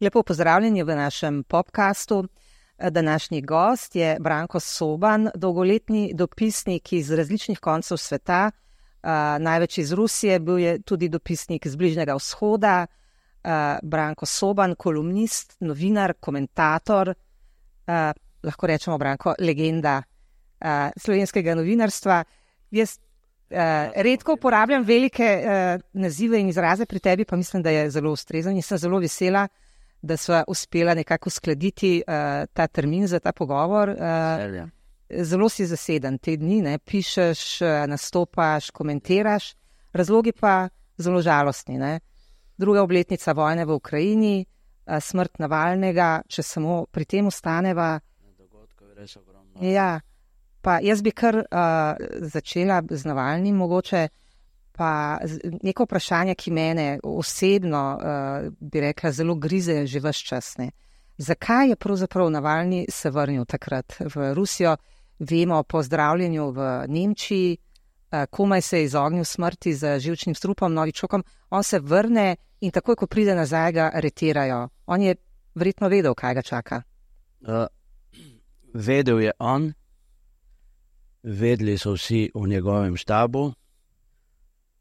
Lepo pozdravljeni v našem podcastu. Današnji gost je Branko Soban, dolgoletni dopisnik iz različnih koncev sveta, največ iz Rusije, bil je tudi dopisnik z Bližnjega vzhoda. Branko Soban, kolumnist, novinar, komentator, lahko rečemo, Branko, legenda slovenskega novinarstva. Jaz redko uporabljam velike nazive in izraze, pri tebi pa mislim, da je zelo ustrezen in sem zelo vesela, da sva uspela nekako uskladiti ta termin za ta pogovor. Zelo si zaseden te dni, ne? Pišeš, nastopaš, komentiraš, razlogi pa zelo žalostni. Ne? Druga obletnica vojne v Ukrajini, smrt Navalnega, če samo pri tem ostaneva. Dogodkov je res ogromno. Ja, pa jaz bi kar začela z Navalnim mogoče, pa neko vprašanje, ki mene osebno, bi rekla, zelo grize že ves čas. Ne? Zakaj je pravzaprav Navalni se vrnil takrat v Rusijo? Vemo po zdravljenju v Nemčiji, komaj se je izognil smrti z živčnim strupom, novičokom. On se vrne in takoj, ko pride nazaj, ga aretirajo. On je verjetno vedel, kaj ga čaka. Vedel je on, vedeli so vsi v njegovem štabu,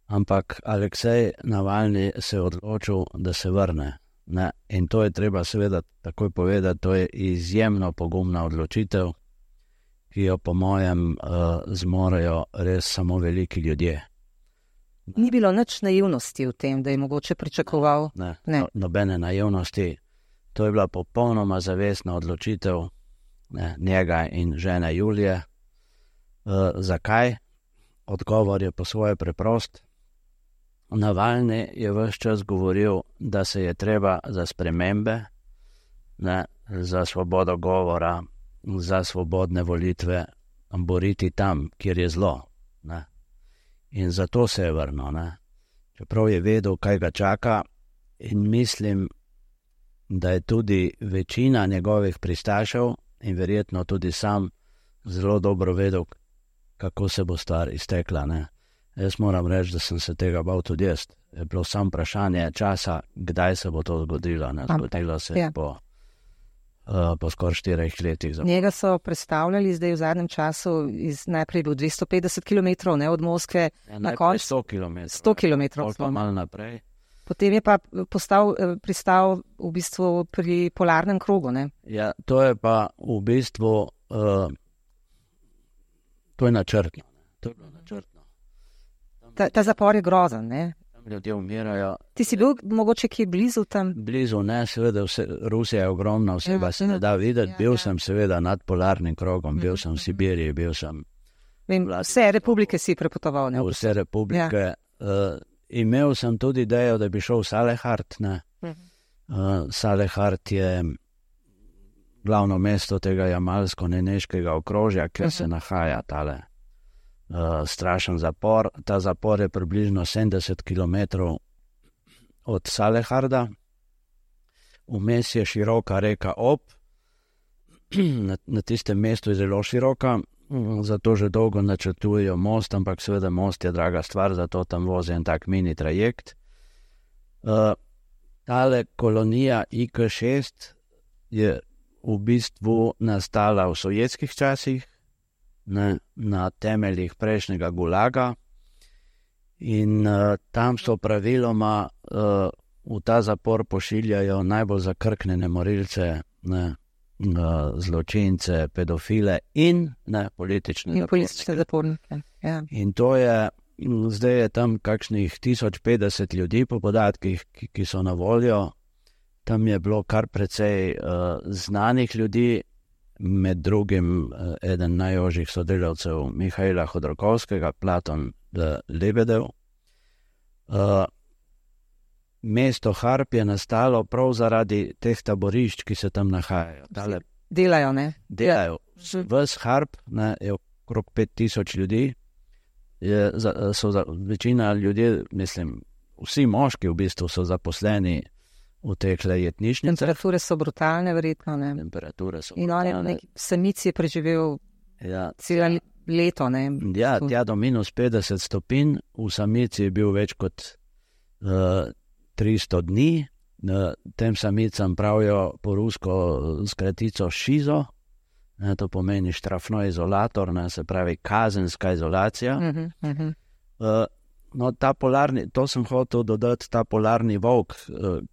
ampak Aleksej Navalni se je odločil, da se vrne. Ne? In to je treba seveda takoj povedati, to je izjemno pogumna odločitev, ki jo po mojem zmorejo res samo veliki ljudje. Ni bilo nič naivnosti v tem, da je mogoče pričakoval? Ne. Nobene naivnosti. To je bila popolnoma zavestna odločitev njega in žene Julije. Zakaj? Odgovor je po svoje preprost. Navalni je ves čas govoril, da se je treba za spremembe, za svobodo govora, za svobodne volitve boriti tam, kjer je zlo. Ne? In zato se je vrnil. Ne? Čeprav je vedel, kaj ga čaka, in mislim, da je tudi večina njegovih pristašev in verjetno tudi sam zelo dobro vedel, kako se bo stvar iztekla. Ne? Jaz moram reči, da sem se tega bal tudi jaz. Je bilo samo vprašanje časa, kdaj se bo to zgodilo. Ne? Zgodilo se je po skoraj 4 letih. Njega so predstavljali zdaj v zadnjem času, najprej bil 250 km od Moskve, na koncu 100 km. 100 km. Pa malo naprej. Potem je pa pristal v bistvu pri polarnem krogu. Ne? Ja, to je pa v bistvu to je načrtno. To je bilo načrtno. Ta zapor je grozen, ne? Ljudje umirajo. Ti si bil mogoče kje blizu tam? Blizu, ne, seveda, Rusija je ogromna, vse pa se ne da videti. Bil sem seveda nad polarnim krogom, bil sem v Sibiriji, bil sem... Vse republike si prepotoval, ne? Vse republike. Imel sem tudi idejo, da bi šel v Salehard, ne. Salehard je glavno mesto tega jamalsko-neneškega okrožja, kjer se nahaja tale strašen zapor. Ta zapor je približno 70 km od Saleharda. Vmes je široka reka Ob. Na tistem mestu je zelo široka, zato že dolgo načrtujejo most, ampak seveda most je draga stvar, zato tam vozi en tak mini trajekt. Tale kolonija IK-6 je v bistvu nastala v sovjetskih časih, na temeljih prejšnjega Gulaga, in tam so praviloma v ta zapor pošiljajo najbolj zakrknjene morilce, zločince, pedofile in politične zapornike. Ja. In to je, zdaj je tam kakšnih 1050 ljudi po podatkih, ki so na voljo. Tam je bilo kar precej znanih ljudi, med drugim eden najožjih sodelavcev Mihaila Hodorkovskega, Platon Lebedev. Mesto Harp je nastalo prav zaradi teh taborišč, ki se tam nahajajo. Delajo, ne? Delajo. Ves Harp je okrog 5000 ljudi. Večina ljudi, mislim, vsi moški v bistvu so zaposleni v teh jetnišnicah. Temperature so brutalne, verjetno, ne? Temperature so brutalne. In on je samici je preživel leto. Ne? Ja, tja do minus 50 stopinj, v samici je bil več kot 300 dni. Tem samicam pravijo po rusko skratico šizo, to pomeni štrafno izolator, se pravi kazenska izolacija. No, ta polarni, to sem hotel dodati, ta polarni volk,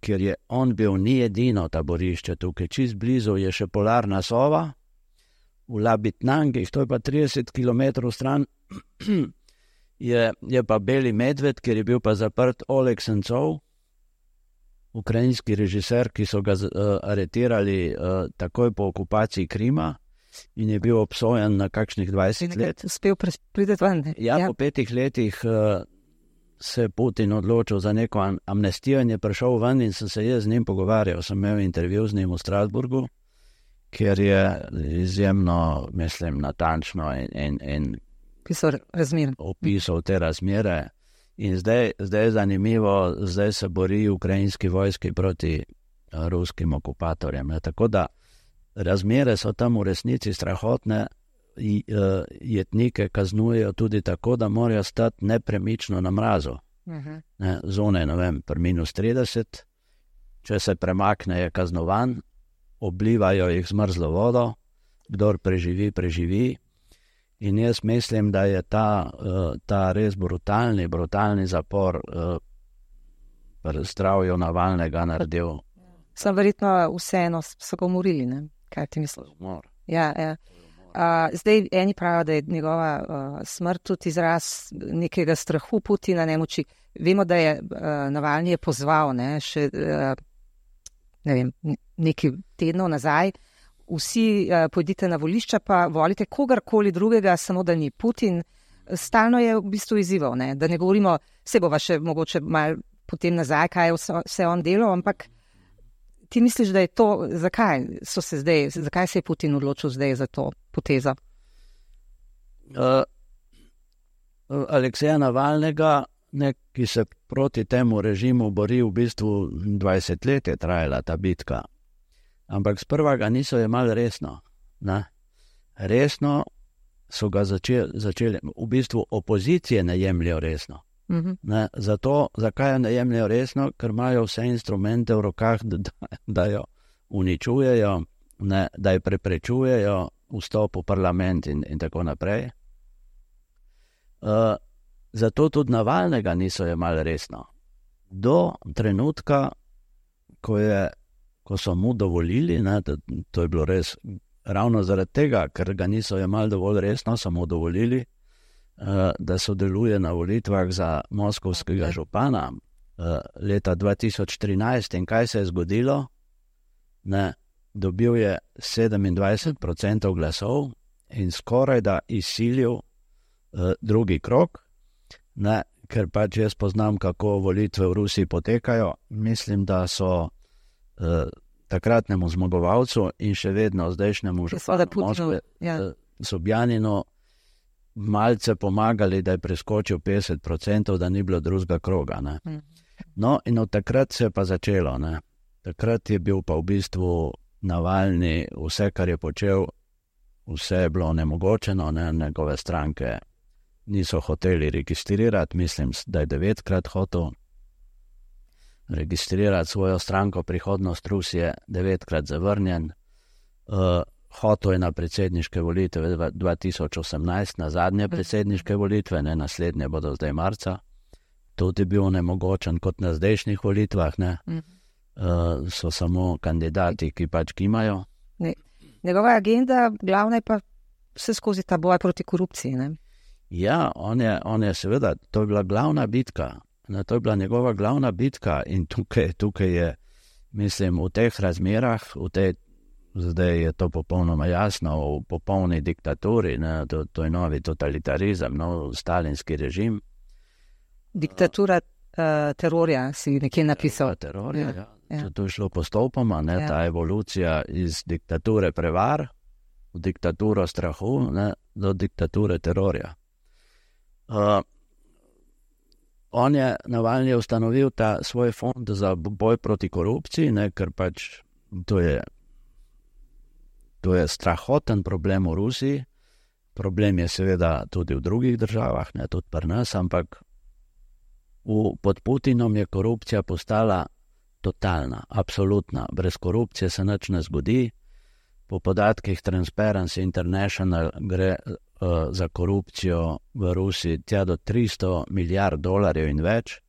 ker je on bil ni edino taborišče tukaj, čist blizu je še polarna sova, v Labitnangih, to je pa 30 km stran, je pa beli medved, ker je bil pa zaprt Oleg Sencov, ukrajinski režiser, ki so ga aretirali takoj po okupaciji Krima in je bil obsojen na kakšnih 20 let. Uspel priti ven. Ja, po 5 letih se je Putin odločil za neko amnestijo in je prišel ven in sem se jaz z njim pogovarjal. Sem imel intervju z njim v Strasburgu, kjer je izjemno, mislim, natančno in opisal te razmere. In zdaj je zanimivo, zdaj se bori ukrajinski vojski proti ruskim okupatorjem. Tako da razmere so tam v resnici strahotne, jetnike kaznujejo tudi tako, da morajo stati nepremično na mrazu. Zone, ne vem, pri minus 30, če se premakne, je kaznovan, oblivajo jih z mrzlo vodo, kdor preživi. In jaz mislim, da je ta res brutalni zapor pri zdravju Navalnega naredil. Sem verjetno vseeno so ga umorili, ne? Kaj ti misliš? Ja. Zdaj eni pravijo, da je njegova smrt tudi izraz nekega strahu Putina, nemoči. Vemo, da je Navalni je pozval, še nekaj tednov nazaj, vsi pojdite na volišča, pa volite kogarkoli drugega, samo da ni Putin. Stalno je v bistvu izzival, da ne govorimo, se bova še mogoče malo potem nazaj, kaj je vse on delal, ampak ti misliš, da je to, zakaj se je Putin odločil zdaj za to potezo? Alekseja Navalnega, ki se proti temu režimu bori v bistvu 20 let je trajala ta bitka. Ampak sprva ga niso jemali resno. Resno so ga začeli, v bistvu opozicije ne jemljajo resno. Zato, zakaj ne jemljajo resno? Ker imajo vse instrumente v rokah, da jo uničujejo, da jo preprečujejo vstop v parlament in tako naprej. Zato tudi Navalnega niso jemali resno. Do trenutka, ko so mu dovolili, to je bilo res ravno zaradi tega, ker ga niso jemali dovolj resno, so mu dovolili, da sodeluje na volitvah za moskovskega župana leta 2013. In kaj se je zgodilo? Dobil je 27% glasov in skoraj da izsilil drugi krog, ker pač jaz poznam, kako volitve v Rusiji potekajo. Mislim, da so takratnemu zmagovalcu in še vedno zdajšnjemu županu Moskve, Sobjaninu, malce pomagali, da je preskočil 50%, da ni bilo drugega kroga. No, in od takrat se je pa začelo. Takrat je bil pa v bistvu Navalni, vse, kar je počel, vse je bilo onemogočeno, njegove stranke niso hoteli registrirati, mislim, da je 9-krat hotel registrirati svojo stranko Prihodnost Rusije, 9-krat zavrnjen. Hotel je na predsedniške volitve 2018, na zadnje predsedniške volitve, naslednje bodo zdaj marca. Tudi je bil onemogočen kot na zdajšnjih volitvah, so samo kandidati, ki pač kimajo. Njegova agenda, glavna je pa vse skozi ta boj proti korupciji, Ja, on je seveda, to je bila glavna bitka. To je bila njegova glavna bitka in tukaj je, mislim, v teh razmerah, zdaj je to popolnoma jasno, v popolni diktaturi, to je novi totalitarizem, stalinski režim. Diktatura terorja si nekje napisal. Terorja, ja. To je šlo postopoma, ta evolucija iz diktature prevar v diktaturo strahu, do diktature terorja. Navalni je ustanovil ta svoj fond za boj proti korupciji, ker pač to je strahoten problem v Rusiji, problem je seveda tudi v drugih državah, ne tudi pri nas, ampak pod Putinom je korupcija postala totalna, absolutna. Brez korupcije se nič ne zgodi. Po podatkih Transparency International gre za korupcijo v Rusiji tja do $300 milijard in več.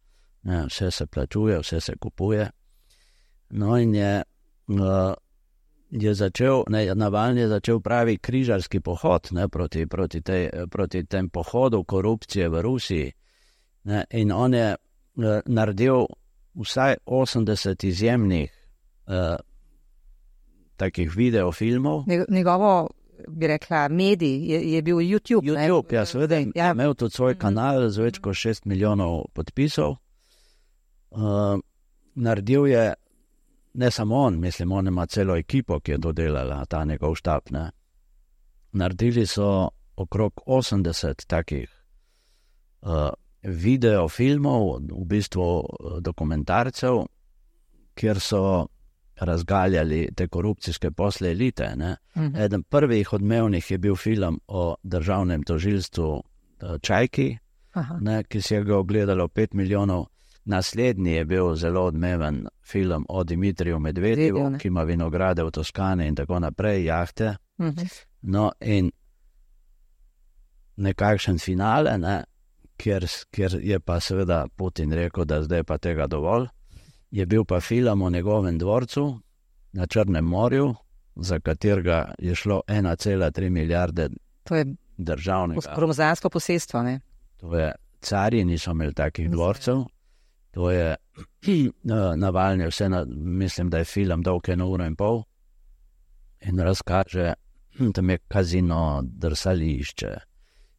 Ne, vse se plačuje, vse se kupuje. No in je začel, Navalny je začel pravi križarski pohod, ne, proti tem pohodu korupcije v Rusiji. Ne, in on je naredil vsaj 80 izjemnih takih videofilmov. Njegovo, bi rekla, medij je bil YouTube. YouTube, ja, seveda, imel tudi svoj kanal z več kot 6 milijonov podpisov. Naredil je, ne samo on, mislim, on ima celo ekipo, ki je dodelala ta njegov štab. Ne. Naredili so okrog 80 takih videofilmov, v bistvu dokumentarcev, kjer so razgaljali te korupcijske posle elite. Ne. Eden prvih odmevnih je bil film o državnem tožilstvu Čajki, ne, ki si ga ogledalo 5 milijonov. Naslednji je bil zelo odmeven film o Dimitriju Medvedjevu, ki ima vinograde v Toskani in tako naprej, jahte. No in nekakšen finale, ne, kjer je pa seveda Putin rekel, da zdaj pa tega dovolj, je bil pa film o njegovem dvorcu na Črnem morju, za katerega je šlo 1,3 milijarde državnega. Gromozansko posestvo, ne? To je, carji niso imeli takih dvorcev. To je Navalny, mislim, da je film dolg 1,5 ure in razkaže, tam je kazino, drsališče,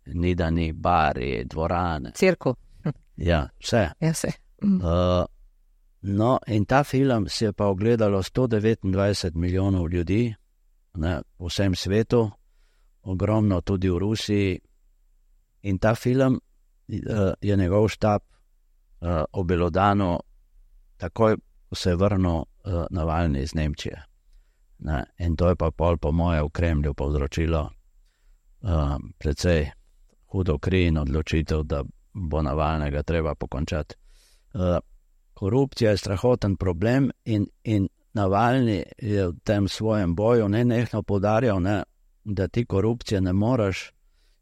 nidani bari, dvorane. Cirku. Ja, vse. Ja, vse. No, in ta film si je pa ogledalo 129 milijonov ljudi, ne, v vsem svetu, ogromno tudi v Rusiji. In ta film je njegov štab obelodano takoj se je vrnil Navalny iz Nemčije. Ne, in to je pa pol po moje v Kremlju povzročilo precej hudo kri in odločitev, da bo Navalnega treba pokončati. Korupcija je strahoten problem in Navalny je v tem svojem boju nenehno poudarjal, ne, da ti korupcije ne moreš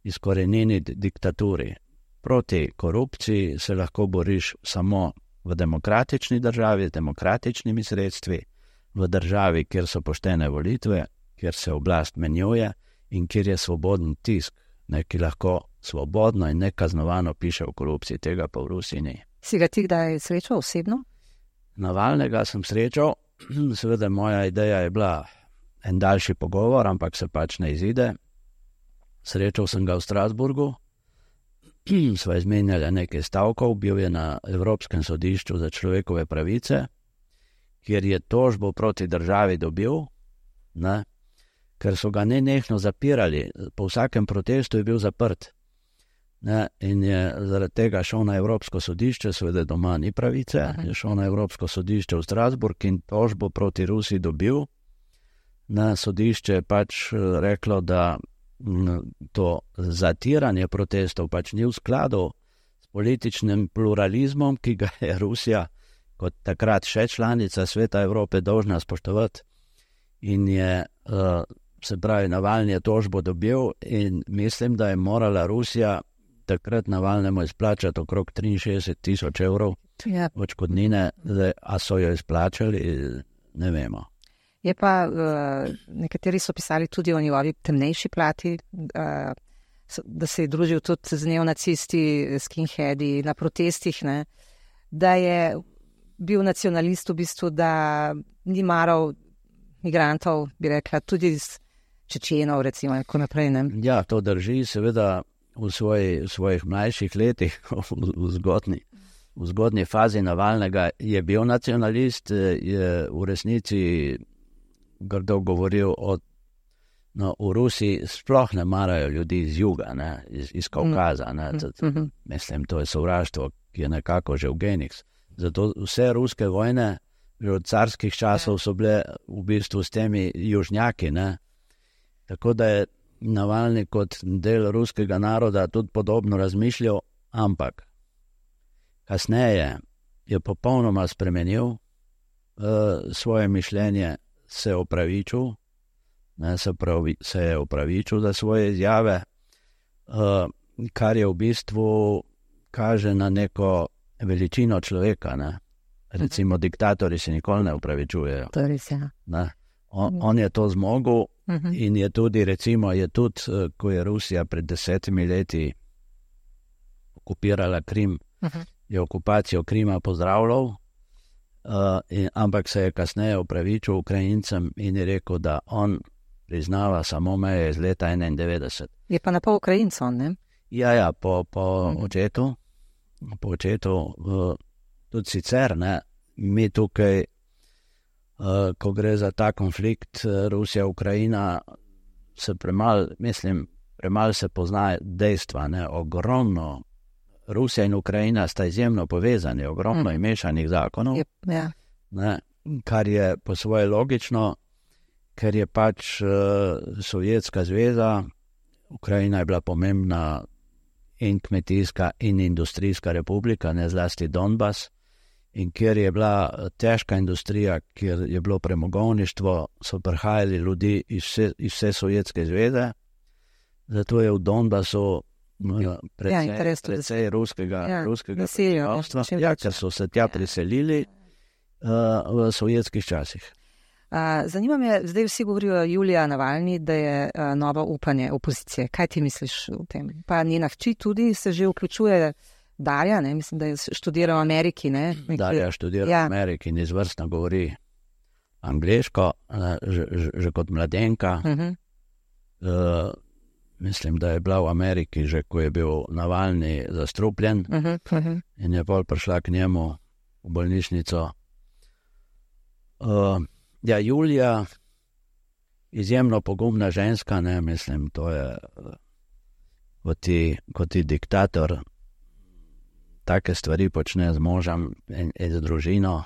izkoreniniti diktaturi. Proti korupciji se lahko boriš samo v demokratični državi, z demokratičnimi sredstvi, v državi, kjer so poštene volitve, kjer se oblast menjuje in kjer je svoboden tisk, ne, ki lahko svobodno in nekaznovano piše o korupciji. Tega pa v Rusiji ni. Si ga ti kdaj srečal osebno? Navalnega sem srečal, seveda moja ideja je bila en daljši pogovor, ampak se pač ne izide. Srečal sem ga v Strasburgu, sva izmenjala nekaj stavkov, bil je na Evropskem sodišču za človekove pravice, kjer je tožbo proti državi dobil, ne, ker so ga nenehno zapirali, po vsakem protestu je bil zaprt. Ne, in je zaradi tega šel na Evropsko sodišče, seveda doma ni pravice, je šel na Evropsko sodišče v Strasburg in tožbo proti Rusiji dobil. Na sodišče je pač reklo, da to zatiranje protestov pač ni v skladu s političnim pluralizmom, ki ga je Rusija kot takrat še članica Sveta Evrope dolžna spoštovati. In je, se pravi, Navalny je tožbo dobil in mislim, da je morala Rusija takrat Navalnemu izplačati okrog 63,000 evrov odškodnine, a so jo izplačali, ne vemo. Je pa, nekateri so pisali tudi o njegovi temnejši plati, da se je družil tudi z neonacisti, skinheadi na protestih, ne, da je bil nacionalist v bistvu, da ni maral migrantov, bi rekla, tudi iz Čečenov, recimo, in tako naprej, ne. Ja, to drži, seveda v svojih mlajših letih, v zgodnji fazi Navalnega je bil nacionalist, je v resnici grdo govoril v Rusiji sploh ne marajo ljudi iz juga, ne, iz Kaukaza, ne, mislim, to je sovraštvo, ki je nekako že v genih. Zato vse ruske vojne, že od carskih časov so bile v bistvu s temi južnjaki, ne, tako da je Navalny kot del ruskega naroda tudi podobno razmišljal, ampak kasneje je popolnoma spremenil svoje mišljenje, se opravičil, se je opravičil za svoje izjave, kar je v bistvu kaže na neko veličino človeka. Ne? Recimo diktatorji se nikoli ne opravičujejo. To je res, ja. On je to zmogel in je tudi, recimo, ko je Rusija pred 10 leti okupirala Krim, je okupacijo Krima pozdravljal, ampak se je kasneje opravičil Ukrajincem in je rekel, da on priznava samo meje iz leta 91. Je pa napol Ukrajinc on, ne? Ja, po očetu. Po očetu, tudi sicer, ne, mi tukaj, ko gre za ta konflikt Rusija-Ukrajina, se premalo se pozna dejstva, ne, ogromno. Rusija in Ukrajina sta izjemno povezani, ogromno je mešanih zakonov, ne, kar je po svoje logično, ker je pač Sovjetska zveza, Ukrajina je bila pomembna in kmetijska in industrijska republika, ne zlasti Donbas, in kjer je bila težka industrija, kjer je bilo premogovništvo, so prihajali ljudi iz vse Sovjetske zveze, zato je v Donbasu precej ruskega prebivalstva, ker so se tja priselili v sovjetskih časih. Zanima me, zdaj vsi govorijo Julija Navalny, da je novo upanje opozicije. Kaj ti misliš o tem? Pa njena hči tudi se že vključuje, Darja, ne? Mislim, da je študirala v Ameriki. Ne? Darja študira v Ameriki in izvrstno govori angleško, že kot mladenka. Mislim, da je bila v Ameriki že, ko je bil Navalny zastrupljen in je pol prišla k njemu v bolnišnico. Julija, izjemno pogumna ženska, ne, mislim, to je, kot ti diktator take stvari počne z možem in z družino,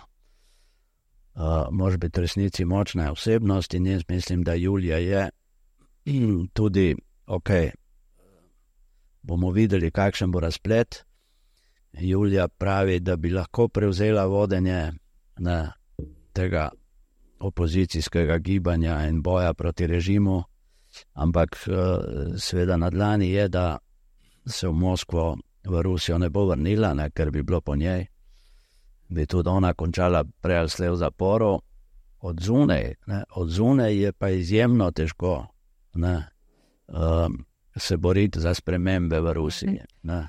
može biti v resnici močna osebnost in jaz mislim, da Julija je tudi, bomo videli, kakšen bo razplet. Julija pravi, da bi lahko prevzela vodenje tega opozicijskega gibanja in boja proti režimu, ampak seveda na dlani je, da se v Moskvo, v Rusijo ne bo vrnila, ne, ker bi bilo po njej, bi tudi ona končala prej ali slej v zaporu. Od zunaj je pa izjemno težko se boriti za spremembe v Rusiji. Ne.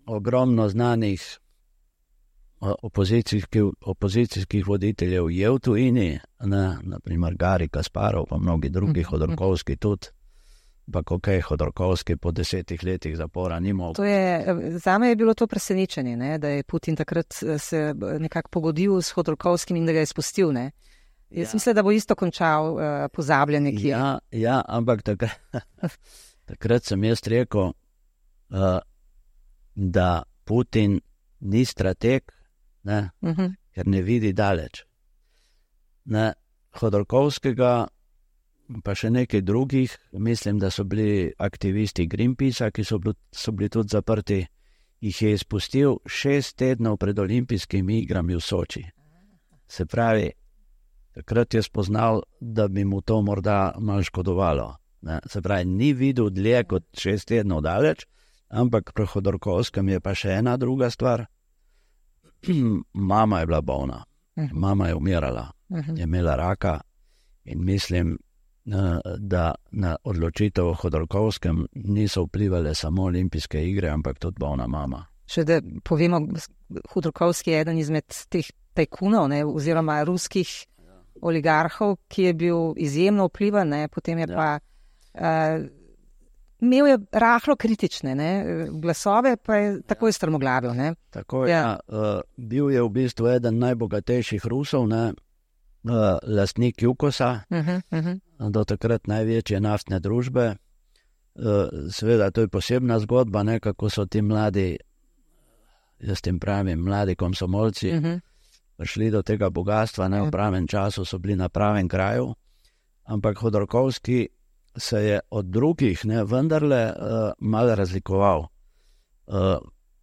Ogromno znanih opozicijskih voditeljev je v tujini, naprimer Garij Kasparov, pa mnogi drugi, Hodorkovski tudi, pa Hodorkovski po 10 letih zapora ni mogel. Zame je bilo to presenečenje, ne, da je Putin takrat se nekako pogodil s Hodorkovskim in da ga je spustil. Ne. Jaz mislim, da bo isto končal pozabljanje. Ja, ampak takrat sem jaz rekel, da Putin ni strateg, ne, ker ne vidi daleč. Ne, Hodorkovskega, pa še nekaj drugih, mislim, da so bili aktivisti Greenpeacea, ki so bili tudi zaprti, jih je izpustil 6 tednov pred olimpijskimi igrami v Soči. Se pravi, takrat je spoznal, da bi mu to morda malo škodovalo. Ne. Se pravi, ni videl dlje kot 6 tednov daleč, ampak pri Hodorkovskem je pa še ena druga stvar. Mama je bila bolna, mama je umirala, je imela raka in mislim, da na odločitev o Hodorkovskem niso vplivali samo olimpijske igre, ampak tudi bolna mama. Še da povemo, Hodorkovski je eden izmed teh tajkunov, ne, oziroma ruskih oligarhov, ki je bil izjemno vplivan, ne, potem je pa imel je rahlo kritične glasove, pa je takoj strmoglavil. Ne. Tako je, bil je v bistvu eden najbogatejših Rusov, ne, lastnik Jukosa, do takrat največje naftne družbe. Seveda, to je posebna zgodba, ne, kako so ti mladi, jaz tem pravim, mladi komsomolci, prišli do tega bogatstva, ne, v pravem času so bili na pravem kraju, ampak Hodorkovski se je od drugih vendarle malo razlikoval.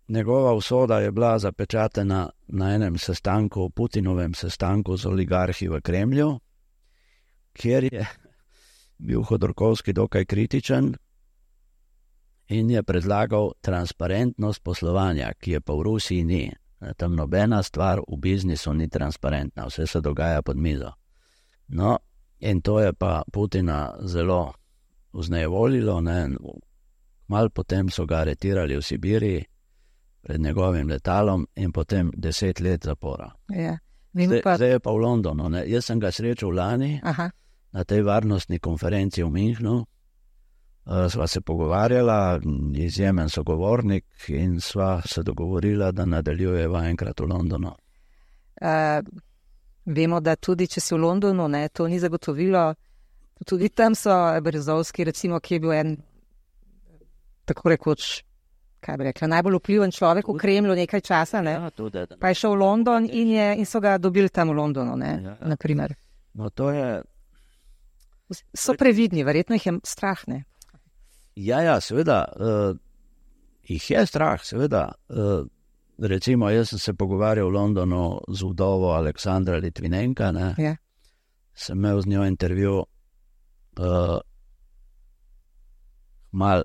Njegova usoda je bila zapečatena na enem sestanku, Putinovem sestanku z oligarhi v Kremlju, kjer je bil Hodorkovski dokaj kritičen in je predlagal transparentnost poslovanja, ki je pa v Rusiji ni. Tam nobena stvar v biznisu ni transparentna, vse se dogaja pod mizo. No, in to je pa Putina zelo vznejevoljilo, malo potem so ga aretirali v Sibiriji pred njegovim letalom in potem 10 let zapora. Ja. Zdaj je pa v Londonu. Jaz sem ga srečal lani na tej varnostni konferenci v Münchnu. Sva se pogovarjala, izjemen sogovornik in sva se dogovorila, da nadaljujeva enkrat v Londonu. Vemo, da tudi če si v Londonu, to ni zagotovilo. Tudi tam so Berezovski, recimo, ki je bil en, tako rekoč, kaj bi rekla, najbolj vpliven človek v Kremlju nekaj časa, Ja, tudi, pa je šel v London in so ga dobili tam v Londonu, naprimer. No, to je... So previdni, verjetno jih je strah, Ja, seveda, jih je strah, seveda. Recimo, jaz sem se pogovarjal v Londonu z vdovo Aleksandra Litvinenka, Ja. Sem imel z njo intervju mal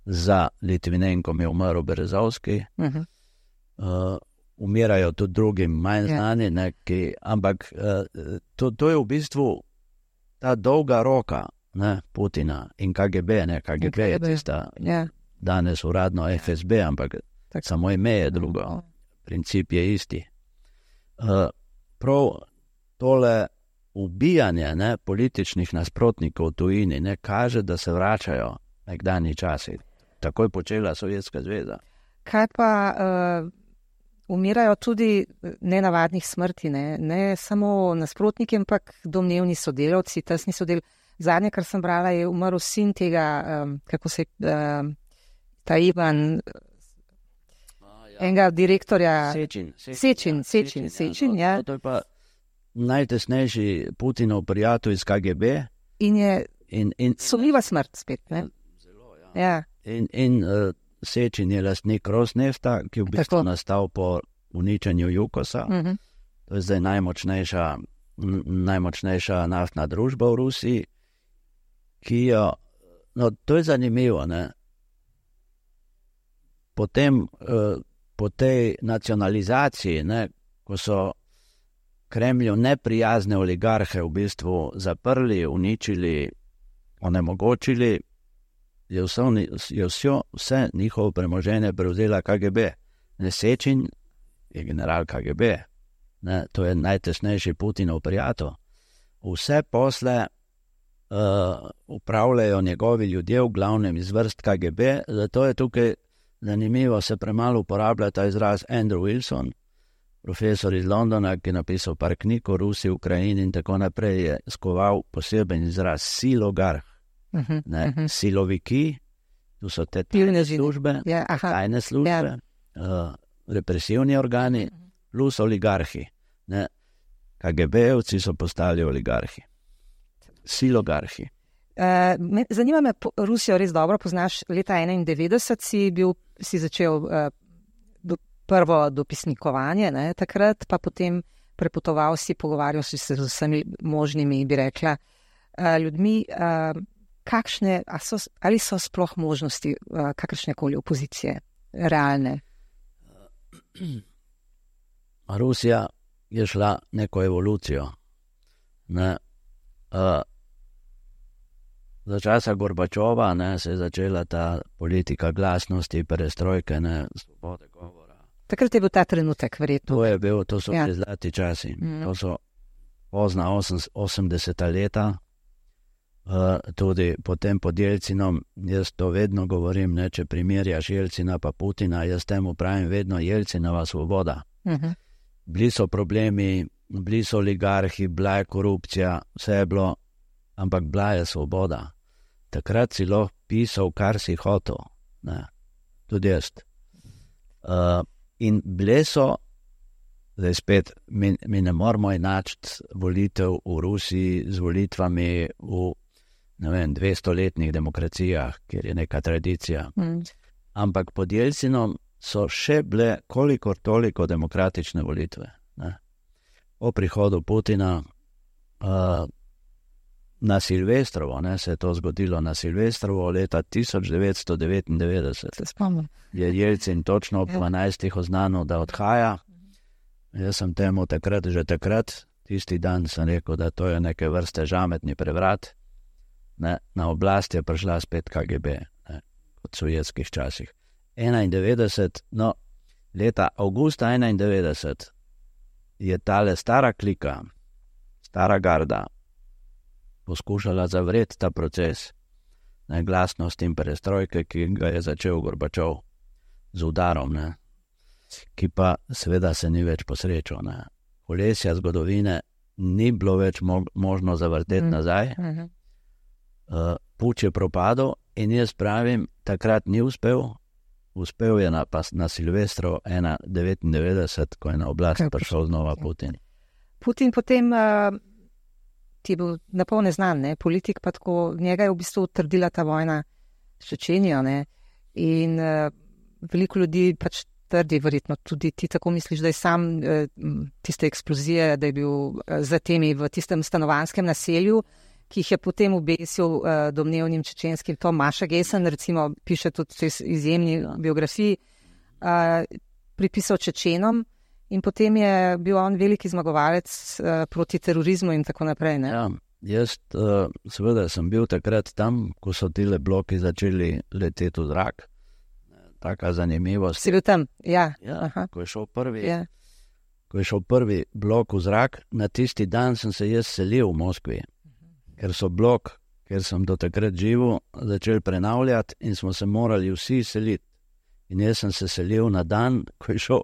za Litvinenkom je umrl Berezovski. Umirajo tudi drugim manj znani, ampak to je v bistvu ta dolga roka Putina in KGB, KGB je tista danes uradno FSB, ampak samo ime je drugo, princip je isti. Prav tole ubijanje političnih nasprotnikov v tujini kaže, da se vračajo nekdanji časi. Tako je počela Sovjetska zveza. Kaj pa umirajo tudi nenavadnih smrti, ne samo nasprotniki, ampak domnevni sodelavci, tesni sodelavci. Zadnje, kar sem brala, je umrl sin tega, ta Ivan, enega direktorja. Sečin, ja. To je pa najtesnejši Putinov prijatelj iz KGB. In je sumljiva smrt spet, Zelo, ja. In Sečin je lastnik Rosnefta, ki je v bistvu nastal po uničenju Jukosa. To je zdaj najmočnejša naftna družba v Rusiji, ki jo, to je zanimivo, Potem, po tej nacionalizaciji, ko so Kremlju neprijazne oligarhe v bistvu zaprli, uničili, onemogočili, je vse njihovo premoženje prevzela KGB. Sečin je general KGB, to je najtesnejši Putinov prijatelj. Vse posle upravljajo njegovi ljudje, v glavnem iz vrst KGB, zato je tukaj zanimivo, se premalo uporablja ta izraz Andrew Wilson, profesor iz Londona, ki je napisal par knjig o Rusiji, Ukrajini in tako naprej, je skoval poseben izraz silogarh. Siloviki, tu so te tajne službe, represivni organi, plus oligarhi. KGB-evci so postali oligarhi. Silogarhi. Zanima me, Rusijo res dobro poznaš, leta 1991 si začel prvo dopisnikovanje, takrat pa potem prepotoval si, pogovarjal si se z vsemi možnimi, bi rekla, ljudmi. Ali so sploh možnosti kakršnekoli opozicije realne? Rusija je šla neko evolucijo. Za časa Gorbačova se je začela ta politika glasnosti, perestrojke, svobode govora. Takrat je bil ta trenutek, verjetno. To so bili zlati časi. To so pozna 80. leta. Tudi potem pod Jelcinom, jaz to vedno govorim, če primerjaš Jelcina pa Putina, jaz temu pravim vedno Jelcinova svoboda. Bili so problemi, bili so oligarhi, bila je korupcija, vse je bilo, ampak bila je svoboda. Takrat si lahko pisal, kar si hotel, tudi jaz. In bile so, zdaj spet, mi ne moramo enačiti volitev v Rusiji z volitvami v 200-letnih demokracijah, kjer je neka tradicija. Ampak pod Jelcinom so še bile kolikor toliko demokratične volitve. Ne. Po prihodu Putina na Silvestrovo, se je to zgodilo na Silvestrovo leta 1999. Se spomnim. Je Jelcin točno ob 12. oznanil, da odhaja. Jaz sem temu že takrat, tisti dan sem rekel, da to je neke vrste žametni prevrat. Ne. Na oblast je prišla spet KGB, kot v sovjetskih časih. 91, leta avgusta 91 je tale stara klika, stara garda, poskušala zavreti ta proces glasnost in perestrojke, ki ga je začel Gorbačov z udarom, ki pa seveda se ni več posrečil. Kolesja zgodovine ni bilo več možno zavrteti nazaj. Puč je propadel in jaz pravim, takrat ni uspel. Uspel je na Silvestro 1999, ko je na oblast prišel znova Putin. Putin potem ti je bil napol neznan, politik, pa tako njega je v bistvu utrdila ta vojna s Čečenijo, in veliko ljudi pač trdi, verjetno tudi ti tako misliš, da je sam tiste eksplozije, da je bil za temi v tistem stanovanskem naselju, ki jih je potem obesil domnevnim čečenskim Tom Maša Gesen, recimo piše tudi v izjemni biografiji, pripisal Čečenom. In potem je bil on veliki zmagovalec proti terorizmu in tako naprej. Ja, jaz seveda sem bil takrat tam, ko so tile bloki začeli leteti v zrak. Taka zanimivost. Si bil tam? Ja. Ko je šel prvi blok v zrak, na tisti dan sem se jaz selil v Moskvi, ker so blok, ker sem do takrat živel, začeli prenavljati in smo se morali vsi seliti. In jaz sem se selil na dan, ko je šel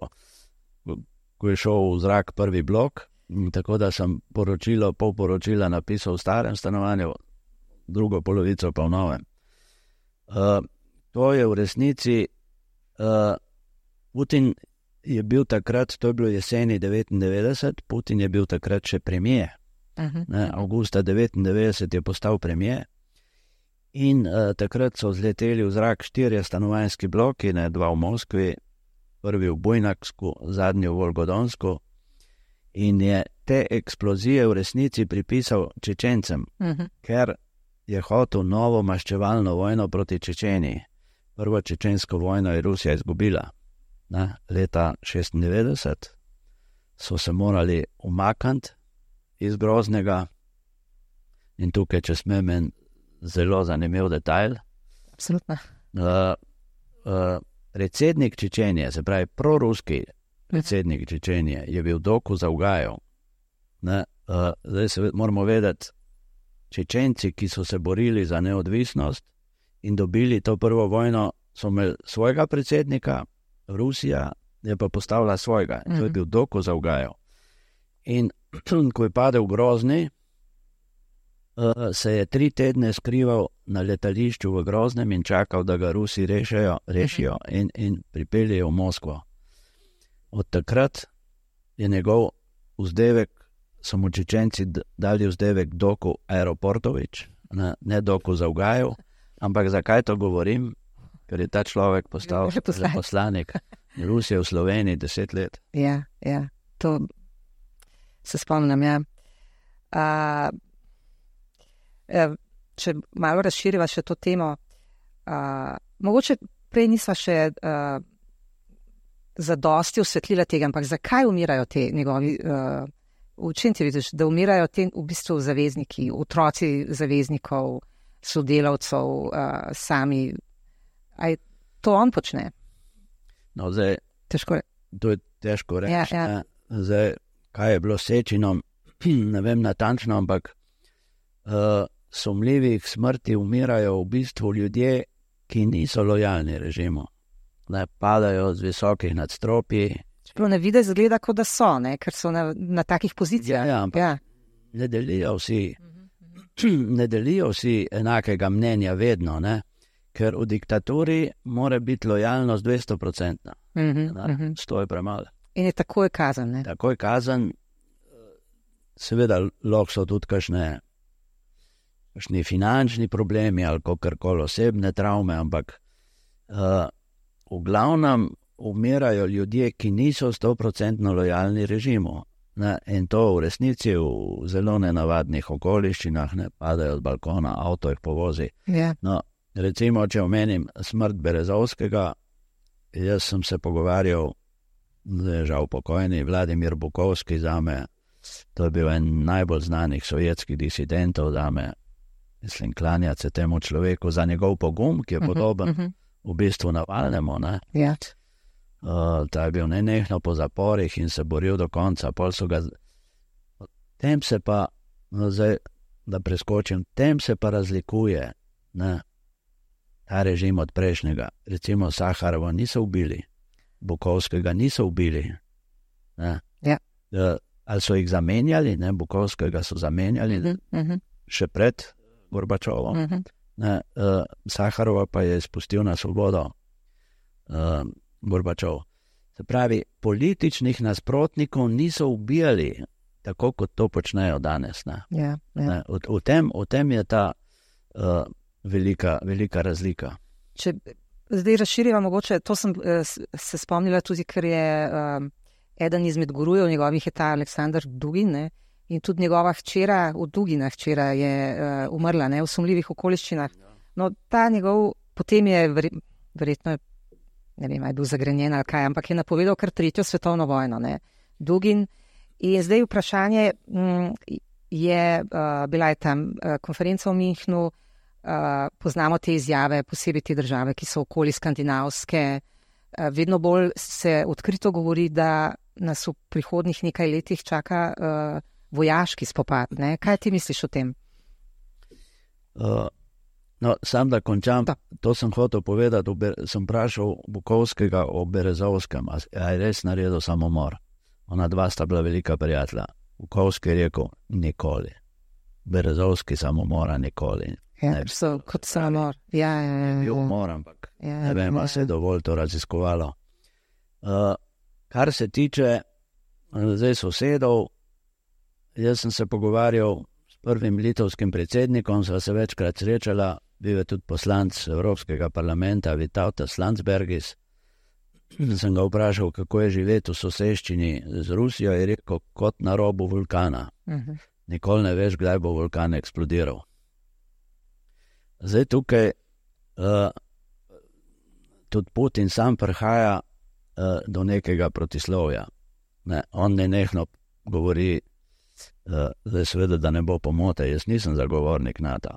v zrak prvi blok, tako da sem pol poročila napisal v starem stanovanju, drugo polovico pa v novem. To je v resnici, Putin je bil takrat, to je bilo jeseni 99, Putin je bil takrat še premijer. Avgusta 99 je postal premijer in takrat so zleteli v zrak 4 stanovanjski bloki, 2 v Moskvi, prvi v Bujnaksku, zadnji v Volgodonsku, in je te eksplozije v resnici pripisal Čečencem, ker je hotel novo maščevalno vojno proti Čečeniji. Prvo čečensko vojno je Rusija izgubila. Leta 96 so se morali umakniti iz Groznega in tukaj, če smem, en zelo zanimiv detajl. Absolutno. Predsednik Čečenije, se pravi proruski predsednik Čečenije, je bil Doku Zavgajev. Zdaj se moramo vedeti, Čečenci, ki so se borili za neodvisnost in dobili to prvo vojno, so imeli svojega predsednika, Rusija je pa postavila svojega. To je bil Doku Zavgajev. In ko je padel Grozni, se je 3 tedne skrival na letališču v Groznem in čakal, da ga Rusi rešijo in pripeljejo v Moskvo. Od takrat je njegov vzdevek, so mu Čečenci dali vzdevek Doku Aeroportovič, ne Doku Zavgajev, ampak zakaj to govorim? Ker je ta človek postal veleposlanik Rusije v Sloveniji 10 let. Ja, to se spomnim, Če malo razširiva še to temo, mogoče prej nisva še zadosti osvetlila tega, ampak zakaj umirajo te njegovi, v čem ti vidiš, da umirajo te v bistvu zavezniki, otroci zaveznikov, sodelavcev, sami, aj to on počne? No, zdaj, to je težko reči. Ja. Zdaj, kaj je bilo s Sečinom, ne vem natančno, ampak sumljivih smrti umirajo v bistvu ljudje, ki niso lojalni režimu. Padajo z visokih nadstropij. Čeprav na videz zgleda, kot da so, ker so na takih pozicijah. Ja, ampak ne delijo vsi enakega mnenja vedno, ker v diktaturi mora biti lojalnost 200%. 100 je premalo. In je takoj kazen, Takoj kazen, seveda lahko so tudi kakšne kakšni finančni problemi ali kakorkoli osebne travme, ampak v glavnem umirajo ljudje, ki niso 100% lojalni režimu. Ne, in to v resnici v zelo nenavadnih okoliščinah, ne padajo z balkona, avto jih povozi. Yeah. No, recimo, če omenim smrt Berezovskega, jaz sem se pogovarjal, zdaj žal pokojni, Vladimir Bukovski zame, to je bil en najbolj znanih sovjetskih disidentov zame, mislim, klanjati se temu človeku za njegov pogum, ki je podoben v bistvu Navalnemu, ne. Yeah. Ta je bil nenehno po zaporih in se boril do konca. Pol so ga... Tem se pa, zdaj, da preskočim, tem se pa razlikuje, ne, ta režim od prejšnjega. Recimo Saharova niso ubili, Bukovskega niso ubili. Ne. Yeah. Ali so jih zamenjali, ne, Bukovskega so zamenjali še pred Gorbačovom. Ne, Saharova pa je spustil na svobodo Gorbačov. Se pravi, političnih nasprotnikov niso ubijali tako, kot to počnejo danes. Ne. Yeah. Ne, v tem je ta velika razlika. Če zdaj razširiva mogoče, to sem se spomnila tudi, ker je eden izmed gurujev njegovih je ta Aleksandar Dugin, ne, in tudi njegova hčera, v Duginah hčera je umrla, ne, v sumljivih okoliščinah. No, ta njegov, potem je verjetno, ne vem, je bil zagrenjen ali kaj, ampak je napovedal kar 3. svetovno vojno, ne, Dugin. In zdaj vprašanje je, bila je tam konferenca v Münchnu, poznamo te izjave, posebej te države, ki so okoli skandinavske, vedno bolj se odkrito govori, da nas v prihodnih nekaj letih čaka vojaški spopad, ne. Kaj ti misliš o tem? No, sam da končam, to sem hotel povedati, sem vprašal Bukovskega o Berezovskem, a je res naredil samomor. Ona dva sta bila velika prijatelja. Bukovski je rekel, nikoli. Berezovski samomora nikoli. Ja, so kot samomor. Ja. Bil umor, ampak ne vem, a se je dovolj to raziskovalo. Kar se tiče zdaj sosedov, jaz sem se pogovarjal s prvim litovskim predsednikom, sva se večkrat srečala, bil je tudi poslanec Evropskega parlamenta Vytautas Landsbergis. Sem ga vprašal, kako je živeti v soseščini z Rusijo, je rekel, kot na robu vulkana. Nikoli ne veš, kdaj bo vulkan eksplodiral. Zdaj tukaj tudi Putin sam prihaja do nekega protislovja. Ne, on nenehno govori, zdaj seveda, da ne bo pomote, jaz nisem zagovornik NATO,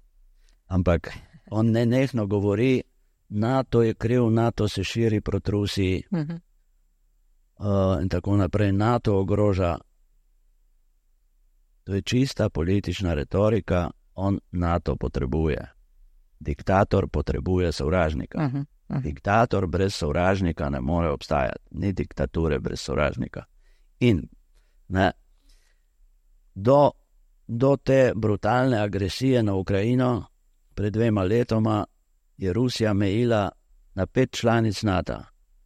ampak on nenehno govori, NATO je kriv, NATO se širi proti Rusiji in tako naprej, NATO ogroža. To je čista politična retorika, on NATO potrebuje. Diktator potrebuje sovražnika. Diktator brez sovražnika ne more obstajati, ni diktature brez sovražnika. In ne, do te brutalne agresije na Ukrajino pred 2 letoma je Rusija mejila na 5 članic NATO.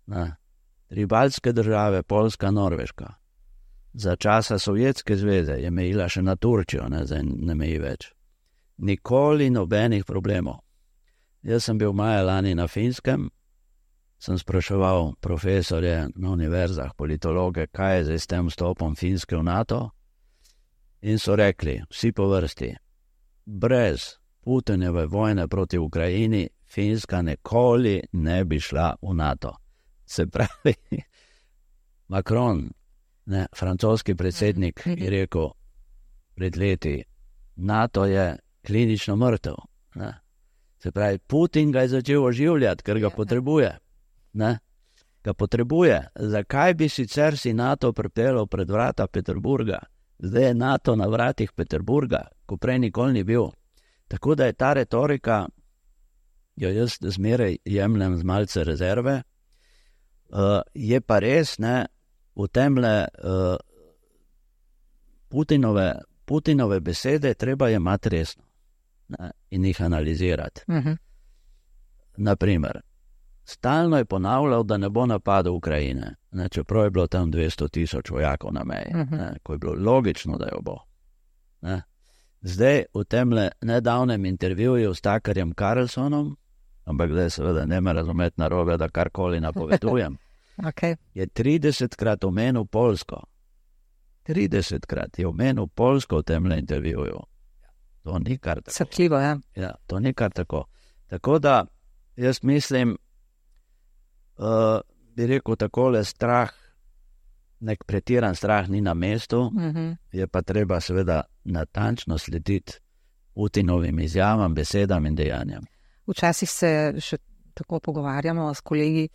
3 baltske države, Poljska, Norveška. Za časa Sovjetske zveze je mejila še na Turčijo, ne, zdaj ne meji več. Nikoli nobenih problemov. Jaz sem bil maja lani na Finskem, sem spraševal profesorje na univerzah, politologe, kaj je zdaj s tem vstopom Finske v NATO, in so rekli, vsi po vrsti, brez Putinove vojne proti Ukrajini Finska nikoli ne bi šla v NATO. Se pravi, Macron, ne, francoski predsednik, je rekel pred leti, NATO je klinično mrtev. Ne. Se pravi, Putin ga je začel oživljati, ker ga potrebuje. Ne. Ga potrebuje. Zakaj bi sicer si NATO pripeljal pred vrata Peterburga? Zdaj je NATO na vratih Peterburga, ko prej nikoli ni bil. Tako da je ta retorika, jo jaz zmeraj jemljem z malce rezerve, je pa res, ne, v temle Putinove besede treba jemati resno, ne, in jih analizirati. Naprimer, stalno je ponavljal, da ne bo napadel Ukrajine, ne, čeprav je bilo tam 200 000 vojakov na meji, ne, ko je bilo logično, da jo bo. Ne. Zdaj v tem nedavnem intervjuju s Tuckerjem Carlsonom, ampak zdaj seveda ne me razumeti narobe, da karkoli napovedujem, Okay. je 30-krat omenil Poljsko. 30-krat je omenil Poljsko v tem intervjuju. To ni kar tako. Srhljivo, ja. Ja, to ni kar tako. Tako da jaz mislim, bi rekel takole, strah, nek pretiran strah ni na mestu, je pa treba seveda natančno slediti Putinovim izjavam, besedam in dejanjem. Včasih se še tako pogovarjamo s kolegi,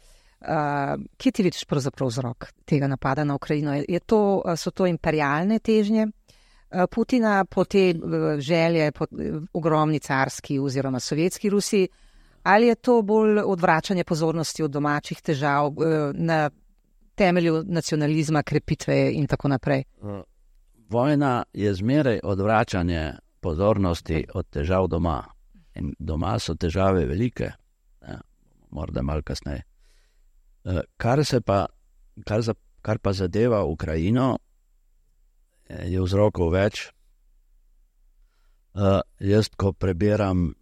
kje ti vidiš pravzaprav vzrok tega napada na Ukrajino? So to imperialne težnje Putina po te želje po ogromni carski oziroma sovjetski Rusiji, ali je to bolj odvračanje pozornosti od domačih težav na temelju nacionalizma, krepitve in tako naprej? Vojna je zmeraj odvračanje pozornosti od težav doma. In doma so težave velike, morda malo kasneje. Kar pa zadeva Ukrajino, je vzrokov več. Jaz, ko prebiram,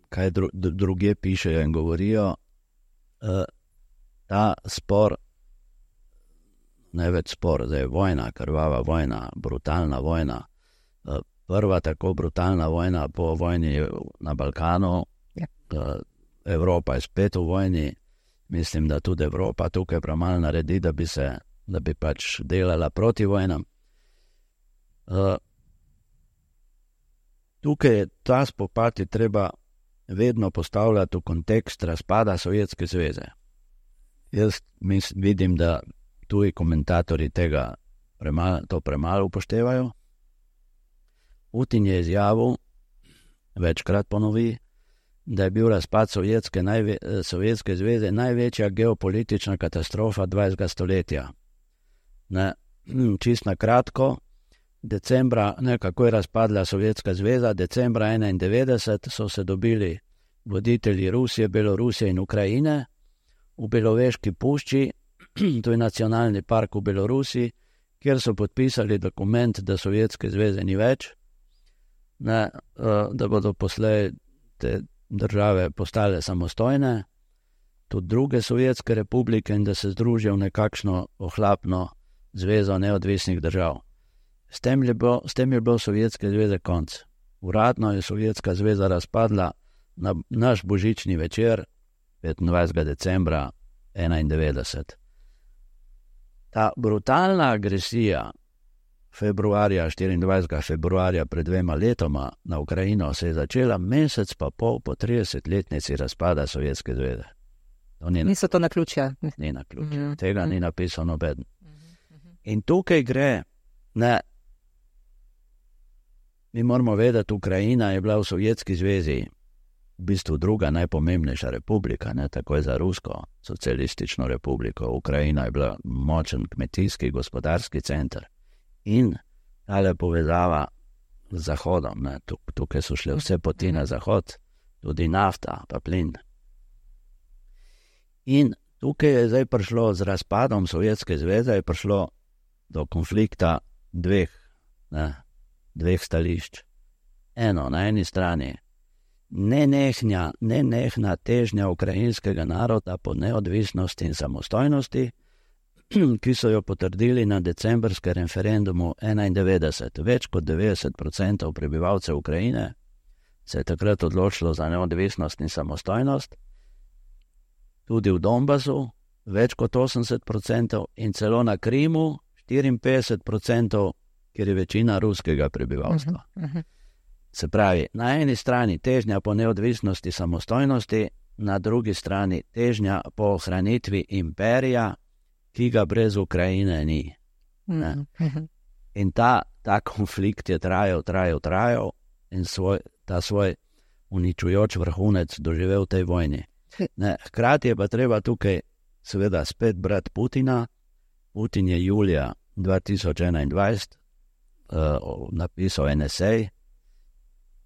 kaj druge pišejo in govorijo, ta spor, največ spor, zdaj vojna, krvava vojna, brutalna vojna, prva tako brutalna vojna po vojni na Balkanu, Evropa je spet v vojni, mislim, da tudi Evropa tukaj premalo naredi, da bi pač delala proti vojnam. Tukaj je ta spopad je treba vedno postavljati v kontekst razpada Sovjetske zveze. Jaz vidim, da tuji komentatorji to premalo upoštevajo. Putin je izjavil, večkrat ponovi, da je bil razpad Sovjetske zveze največja geopolitična katastrofa 20. stoletja. Čist na kratko, decembra, kako je razpadla Sovjetska zveza, decembra 1991 so se dobili voditelji Rusije, Belorusije in Ukrajine v Beloveški pušči, to je nacionalni park v Belorusiji, kjer so podpisali dokument, da Sovjetske zveze ni več, da bodo poslej te države postale samostojne, tudi druge sovjetske republike, in da se združijo v nekakšno ohlapno zvezo neodvisnih držav. S tem je bilo Sovjetske zveze konc. Uradno je Sovjetska zveza razpadla na naš božični večer 25. decembra 1991. Ta brutalna agresija 24. februarja pred 2 letoma na Ukrajino se je začela mesec pa pol po 30-letnici razpada Sovjetske zveze. Niso to naključja? Ni naključja. Tega ni napisal nobeden. In tukaj gre, mi moramo vedeti, Ukrajina je bila v Sovjetski zvezi v bistvu druga najpomembnejša republika, takoj za Rusko socialistično republiko. Ukrajina je bila močen kmetijski, gospodarski center. In tale povezava z Zahodom, tukaj so šle vse poti na Zahod, tudi nafta pa plin. In tukaj je zdaj prišlo z razpadom Sovjetske zveze, je prišlo do konflikta dveh stališč. Eno, na eni strani nenehna težnja ukrajinskega naroda po neodvisnosti in samostojnosti, ki so jo potrdili na decembrskem referendumu 1991. Več kot 90% prebivalcev Ukrajine se je takrat odločilo za neodvisnost in samostojnost, tudi v Donbasu več kot 80% in celo na Krimu 54%, kjer je večina ruskega prebivalstva. Se pravi, na eni strani težnja po neodvisnosti, samostojnosti, na drugi strani težnja po ohranitvi imperija, ki ga brez Ukrajine ni. In ta konflikt je trajal in ta svoj uničujoč vrhunec doživel v tej vojni. Hkrati je pa treba tukaj seveda spet brati Putina. Putin je julija 2021 napisal en esej,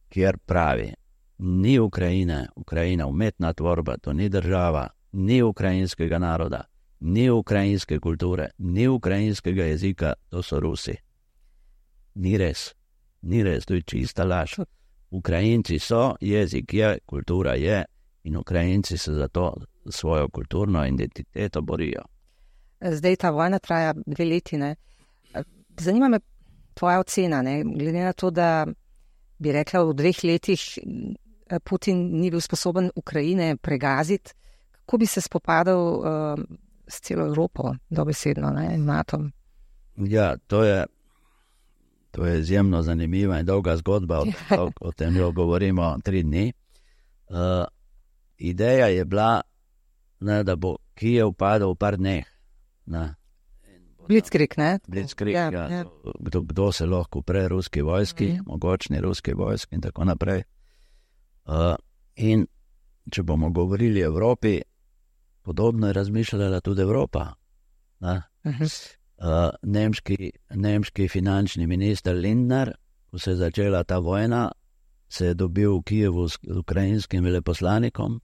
kjer pravi, ni Ukrajina umetna tvorba, to ni država, ni ukrajinskega naroda, ni ukrajinske kulture, ni ukrajinskega jezika, to so Rusi. Ni res. Ni res, to je čista laž. Ukrajinci so, jezik je, kultura je in Ukrajinci se za to svojo kulturno identiteto borijo. Zdaj ta vojna traja 2 leti, ne? Zanima me tvoja ocena, ne? Glede na to, da bi rekla, v 2 letih Putin ni bil sposoben Ukrajine pregaziti, kako bi se spopadal s celo Evropo, dobesedno, ne, NATO? Ja, to je izjemno zanimiva in dolga zgodba, o tem jo govorimo 3 dni. Ideja je bila, ne, da bo Kijev padel v par dneh. Blitzkrieg, ne? Blitzkrieg, ja. Kdo se lahko upre ruski vojski, mogočni ruski vojski in tako naprej. In če bomo govorili o Evropi, podobno je razmišljala tudi Evropa. Nemški finančni minister Lindner, ko se je začela ta vojna, se je dobil v Kijevu s ukrajinskim veleposlanikom,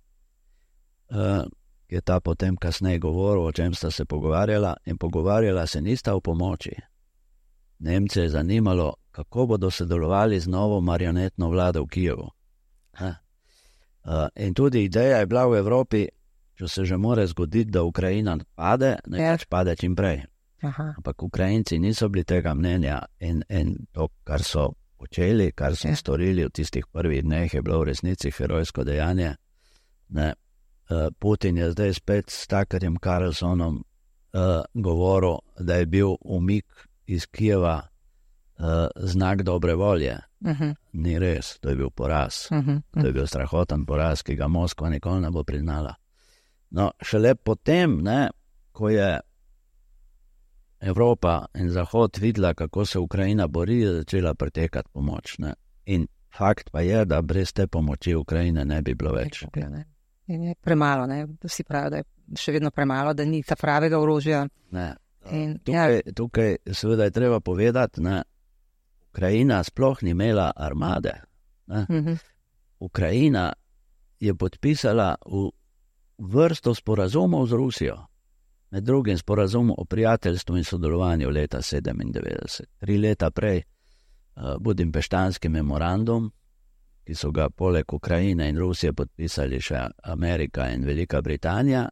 ki je ta potem kasneje govoril, o čem sta se pogovarjala, in pogovarjala se nista o pomoči. Nemce je zanimalo, kako bodo sodelovali z novo marionetno vlado v Kijevu. In tudi ideja je bila v Evropi, če se že more zgoditi, da Ukrajina pade, nekaj pade čim prej. Ampak Ukrajinci niso bili tega mnenja in to, kar so počeli, kar so storili v tistih prvih dneh, je bilo v resnici herojsko dejanje. Putin je zdaj spet s Tuckerjem Carlsonom govoril, da je bil umik iz Kijeva znak dobre volje. Ni res, to je bil poraz. To je bil strahoten poraz, ki ga Moskva nikoli ne bo priznala. No, šele potem, ko je Evropa in Zahod videla, kako se Ukrajina bori, je začela pretekati pomoč. In fakt pa je, da brez te pomoči Ukrajine ne bi bilo več. In je premalo, vsi pravijo, da je še vedno premalo, da ni ta pravega orožja. Tukaj seveda je treba povedati, Ukrajina sploh ni imela armade. Ukrajina je podpisala v vrsto sporazumov z Rusijo. Med drugim sporazum o prijateljstvu in sodelovanju leta 1997. 3 leta prej Budimpeštanski memorandum, ki so ga poleg Ukrajine in Rusije podpisali še Amerika in Velika Britanija,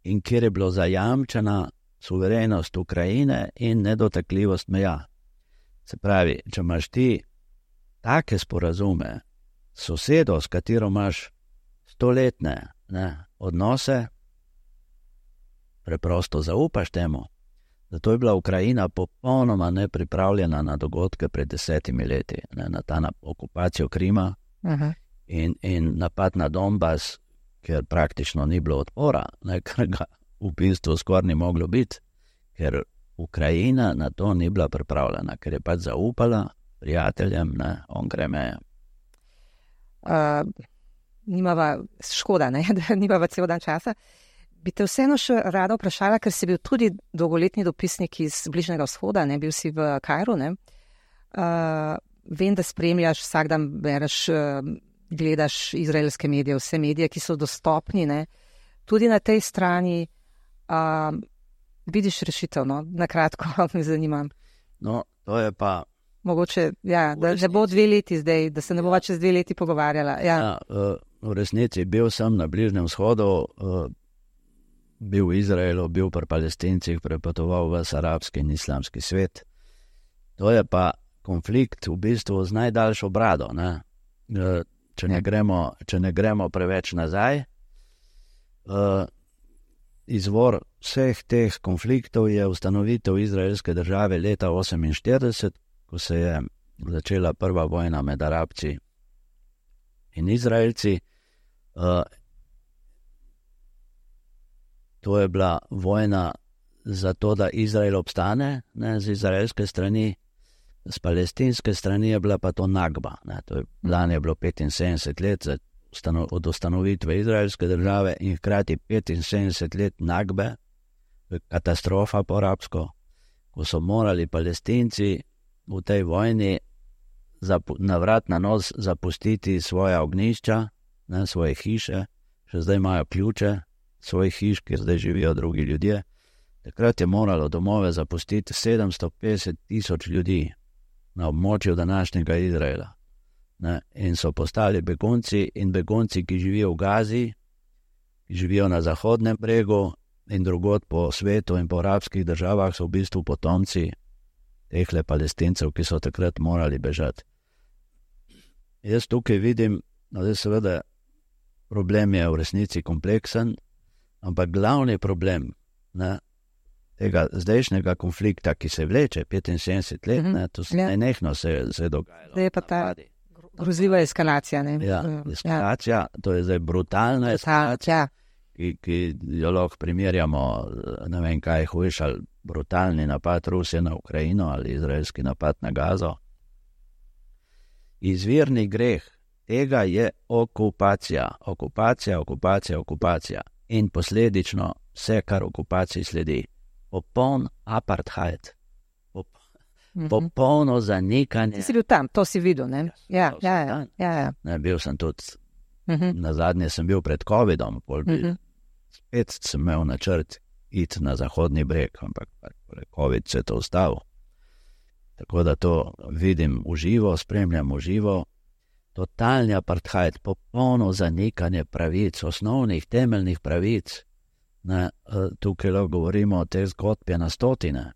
in kjer je bilo zajamčena suverenost Ukrajine in nedotakljivost meja. Se pravi, če imaš ti take sporazume s sosedo, s katero imaš 100-letne odnose, preprosto zaupaš temu. Zato je bila Ukrajina popolnoma nepripravljena na dogodke pred 10 leti, na ta okupacijo Krima in napad na Donbas, ker praktično ni bilo odpora, ker ga v bistvu skoraj ni moglo biti, ker Ukrajina na to ni bila pripravljena, ker je pač zaupala prijateljem, onkraj meje. Škoda, da nimava cel dan časa. Bi te vseeno še rada vprašala, ker si bil tudi dolgoletni dopisnik iz Bližnjega vzhoda, bil si v Kairu, vem, da spremljaš, vsak dan bereš, gledaš izraelske medije, vse medije, ki so dostopni, tudi na tej strani vidiš rešitev, na kratko me zanima. No, to je pa... Mogoče, da ne bo 2 leti zdaj, da se ne bova čez 2 leti pogovarjala. V resnici bil sem na Bližnjem vzhodu, bil v Izraelu, bil pri Palestincih, prepotoval v arabski in islamski svet. To je pa konflikt v bistvu z najdaljšo brado. Če ne gremo preveč nazaj, izvor vseh teh konfliktov je ustanovitev izraelske države leta 1948, ko se je začela prva vojna med Arabci in Izraelci. To je bila vojna za to, da Izrael obstane, z izraelske strani, z palestinske strani je bila pa to Nakba. Lani je bilo 75 let od ustanovitve izraelske države in hkrati 75 let Nakbe, katastrofa po arabsko, ko so morali Palestinci v tej vojni na vrat na nos zapustiti svoja ognjišča, svoje hiše, še zdaj imajo ključe svojih hiš, kjer zdaj živijo drugi ljudje. Takrat je moralo domove zapustiti 750 000 ljudi. na območju današnjega Izraela. Ne, in so postali begunci in begunci, ki živijo v Gazi, ki živijo na Zahodnem bregu in drugod po svetu in po arabskih državah, so v bistvu potomci tehle Palestincev, ki so takrat morali bežati. Jaz tukaj vidim, da seveda problem je v resnici kompleksen, ampak glavni problem tega zdajšnjega konflikta, ki se vleče 75 let, to nenehno se dogajalo. Zdaj je pa ta grozljiva eskalacija. Eskalacija, to je zdaj brutalna eskalacija, ki jo lahko primerjamo, ne vem kaj, hujš ali brutalni napad Rusije na Ukrajino ali izraelski napad na Gazo. Izvirni greh tega je okupacija. Okupacija. In posledično vse, kar okupaciji sledi. Popoln apartheid. Popolno zanikanje. Ti si bil tam, to si videl, ne? Ja. Ne, bil sem tudi, nazadnje sem bil pred COVID-om, spet sem imel načrt iti na Zahodni breg, ampak COVID se je to ustavil. Tako da to vidim v živo, spremljam v živo. Totalni apartheid, popolno zanikanje pravic, osnovnih, temeljnih pravic. Tukaj lahko govorimo o teh zgodbah na stotine.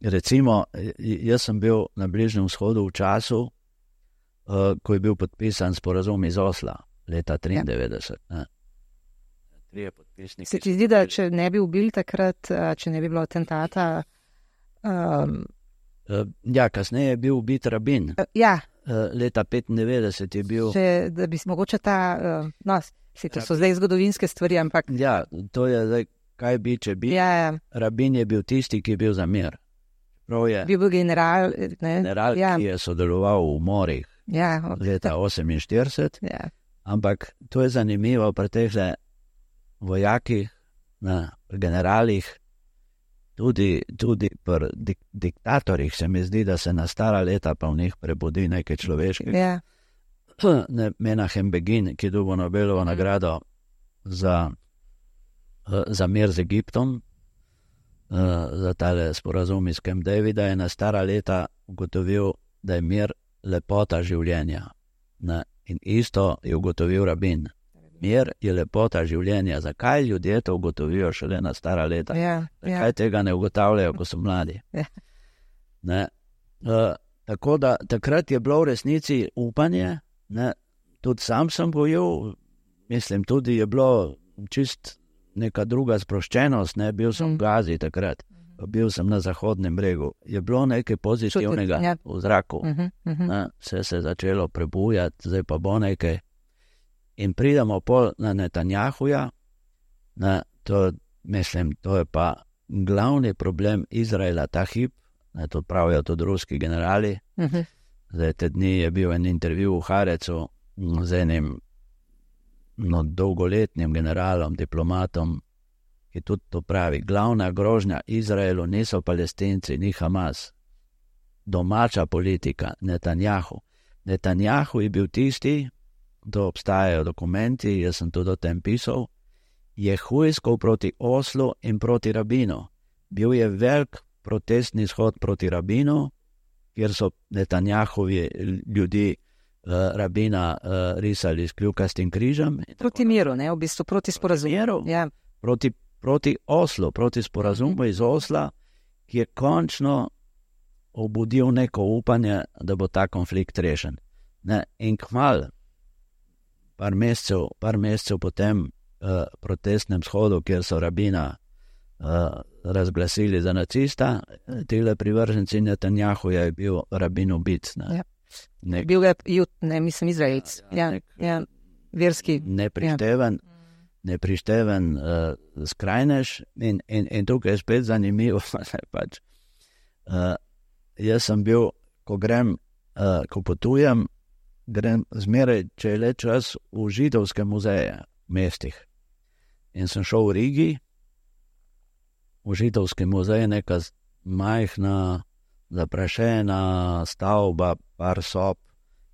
Recimo, jaz sem bil na Bližnjem vzhodu v času, ko je bil podpisan sporazum iz Osla, leta 1993. Se ti zdi, da če ne bi ubili takrat, če ne bi bilo atentata? Kasneje je bil ubit Rabin. Leta 1995 je bil. Da bi mogoče to so zdaj zgodovinske stvari, ampak. To je zdaj, kaj bi, če bi. Rabin je bil tisti, ki je bil za mir. Bil general. General, ki je sodeloval v umorih leta 1948. Ampak to je zanimivo pri teh vojakih, generalih, tudi pri diktatorjih se mi zdi, da se na stara leta pa v njih prebudi nekaj človeškega. Menahem Begin, ki dobil Nobelovo nagrado za mir z Egiptom, za tale sporazum iz Camp Davida, je na stara leta ugotovil, da je mir lepota življenja. In isto je ugotovil Rabin. Mir je lepota življenja. Zakaj ljudje to ugotovijo šele na stara leta? Zakaj tega ne ugotavljajo, ko so mladi? Tako da takrat je bilo v resnici upanje, tudi sam sem gojil, mislim, tudi je bilo čist neka druga sproščenost, bil sem v Gazi takrat, bil sem na Zahodnem bregu, je bilo nekaj pozitivnega v zraku, vse se je začelo prebujati, zdaj pa bo nekaj. In pridemo pol na Netanjahuja, to je pa glavni problem Izraela ta hip, to pravijo tudi ruski generali. Zdaj te dni je bil en intervju v Harecu z enim dolgoletnim generalom, diplomatom, ki tudi to pravi. Glavna grožnja Izraelu niso Palestinci, ni Hamas. Domača politika, Netanjahu. Netanjahu je bil tisti, to obstajajo dokumenti, jaz sem tudi o tem pisal, je hujskal proti Oslu in proti Rabinu. Bil je velik protestni shod proti Rabinu, kjer so Netanjahovi ljudi Rabina risali s kljukastim križem. Proti miru, v bistvu proti sporazumu. Proti Oslu, proti sporazumu iz Osla, ki je končno obudil neko upanje, da bo ta konflikt rešen. In kmalu, par mesecev po tem protestnem shodu, kjer so Rabina razglasili za nacista, tile privrženci Netanjahuja je bil Rabin ubit. Bil je mislim, Izraelc. Verski. Neprišteven skrajnež in tukaj je spet zanimivo. Jaz sem bil, ko potujem, grem zmeraj, če je le čas, v židovske muzeje v mestih. In sem šel v Rigi, v židovski muzej, neka majhna, zaprašena stavba, par sob,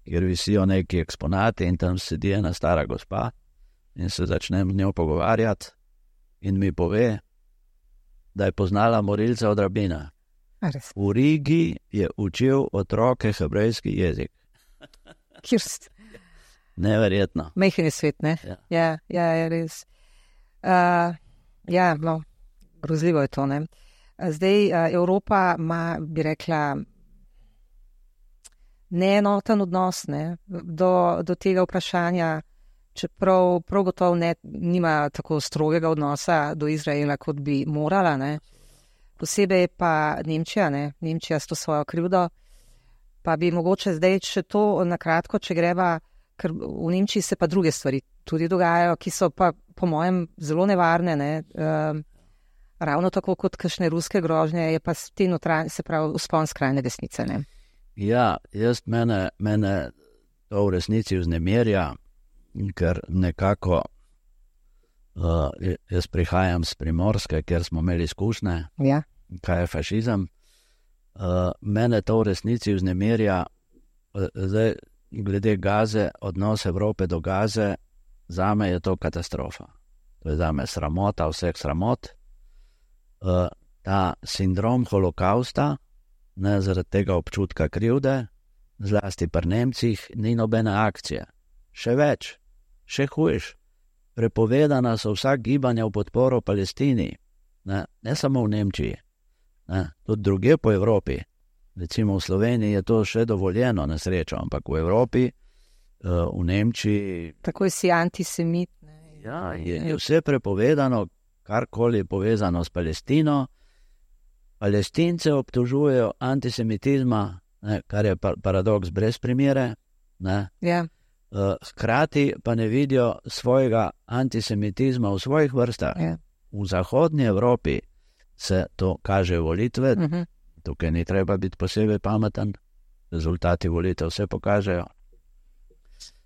kjer visijo neki eksponati in tam sedi ena stara gospa in se začnem z njo pogovarjati in mi pove, da je poznala morilca od Rabina. V Rigi je učil otroke hebrejski jezik. Kirst. Neverjetno. Majhen je svet, ne? Ja, res. No, grozljivo je to, ne? Zdaj, Evropa ima, bi rekla, neenoten odnos, ne, do tega vprašanja, čeprav prav gotovo nima tako strogega odnosa do Izraela, kot bi morala, ne. Posebej pa Nemčija, ne, Nemčija s to svojo krivdo, pa bi mogoče zdaj še to nakratko, če greva, ker v Nemčiji se pa druge stvari tudi dogajajo, ki so pa po mojem zelo nevarne, ne, ravno tako kot kakšne ruske grožnje, je pa te notranje, se pravi, vzpon skrajne desnice, ne. Ja, mene to v resnici vznemirja, ker nekako jaz prihajam z Primorske, kjer smo imeli izkušnje, kaj je fašizem. Mene to v resnici vznemirja, zdaj glede Gaze, odnos Evrope do Gaze, zame je to katastrofa. To je zame sramota, vseh sramot. Ta sindrom holokausta, ne, zaradi tega občutka krivde, zlasti pri Nemcih, ni nobene akcije. Še več, še hujš. Prepovedana so vsa gibanja v podporo Palestini, ne samo v Nemčiji, tudi drugje po Evropi. Recimo v Sloveniji je to še dovoljeno na srečo, ampak v Evropi, v Nemčiji... Takoj si antisemit. Ne? Ja, je vse prepovedano, karkoli povezano s Palestino. Palestince obtožujejo antisemitizma, ne, kar je paradoks brez primere. Hkrati pa ne vidijo svojega antisemitizma v svojih vrstah. V zahodnji Evropi se to kaže volitve, tukaj ni treba biti posebej pameten, rezultati volitev vse pokažejo.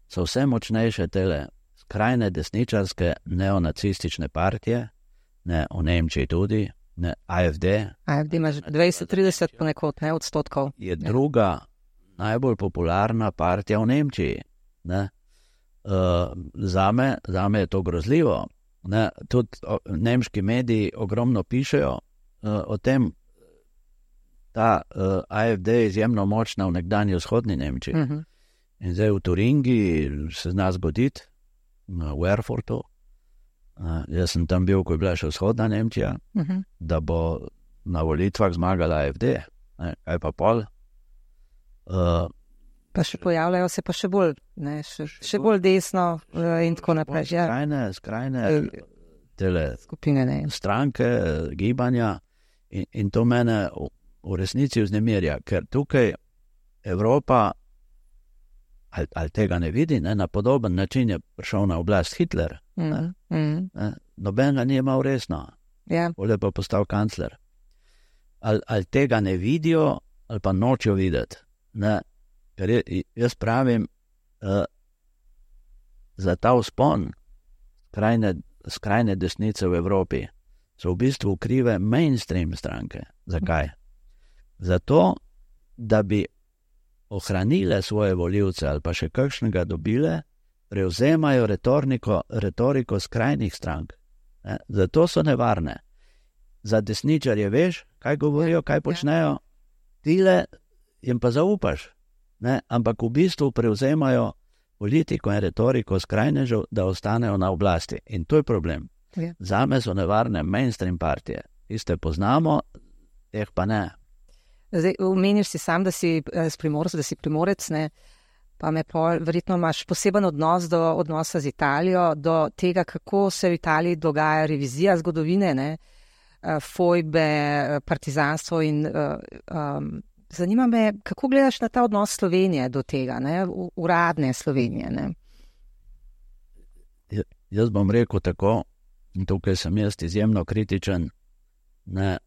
So vse močnejše tele skrajne desničarske neonacistične partije, ne, v Nemčiji tudi, ne, AfD. AfD ima 20-30 ponekod, ne, odstotkov. Je druga najbolj popularna partija v Nemčiji. Ne. Zame je to grozljivo. Ne. Tudi nemški mediji ogromno pišejo o tem, ta AfD je izjemno močna v nekdanji vzhodni Nemčiji. In zdaj v Turingiji se zna zgoditi, v Erfurtu, jaz sem tam bil, ko je bila še vzhodna Nemčija, da bo na volitvah zmagala AfD. Kaj pa pol? Pa še pojavljajo se pa še bolj, ne, še bolj desno in tako naprej. Skrajne tele skupine, ne. Stranke, gibanja in to mene v resnici vznemirja, ker tukaj Evropa ali tega ne vidi, ne, na podoben način je prišel na oblast Hitler. Noben ga ni imel resno. Bolje pa postal kancler. Ali tega ne vidijo, ali pa nočejo videti. Ne. Ker jaz pravim, za ta vzpon skrajne desnice v Evropi so v bistvu krive mainstream stranke. Zakaj? Zato, da bi ohranile svoje volivce ali pa še kakšnega dobile, prevzemajo retoriko skrajnih strank. Ne? Zato so nevarne. Za desničarje veš, kaj govorijo, kaj počnejo, tile jim pa zaupaš. Ne? Ampak v bistvu prevzemajo politiko in retoriko skrajnežev, da ostanejo na oblasti. In to je problem. Zame so nevarne mainstream partije. Tiste poznamo, teh pa ne. Zdaj, omeniš si sam, da si Primorec, ne? Pa me verjetno imaš poseben odnos do odnosa z Italijo, do tega, kako se v Italiji dogaja revizija zgodovine, ne? Fojbe, partizanstvo in zanima me, kako gledaš na ta odnos Slovenije do tega, ne? Uradne Slovenije, ne? Jaz bom rekel tako, in tukaj sem jaz izjemno kritičen, ne,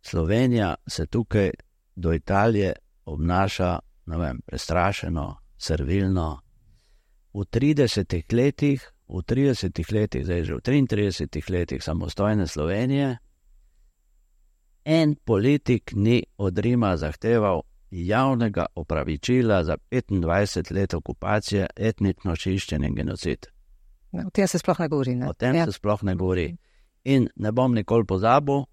Slovenija se tukaj do Italije obnaša, ne vem, prestrašeno, servilno. V 30 letih, zdaj že v 33 letih samostojne Slovenije, en politik ni od Rima zahteval javnega opravičila za 25 let okupacije, etnično čiščenje in genocid. O tem se sploh ne govori, ne? O tem se sploh ne govori. In ne bom nikoli pozabil,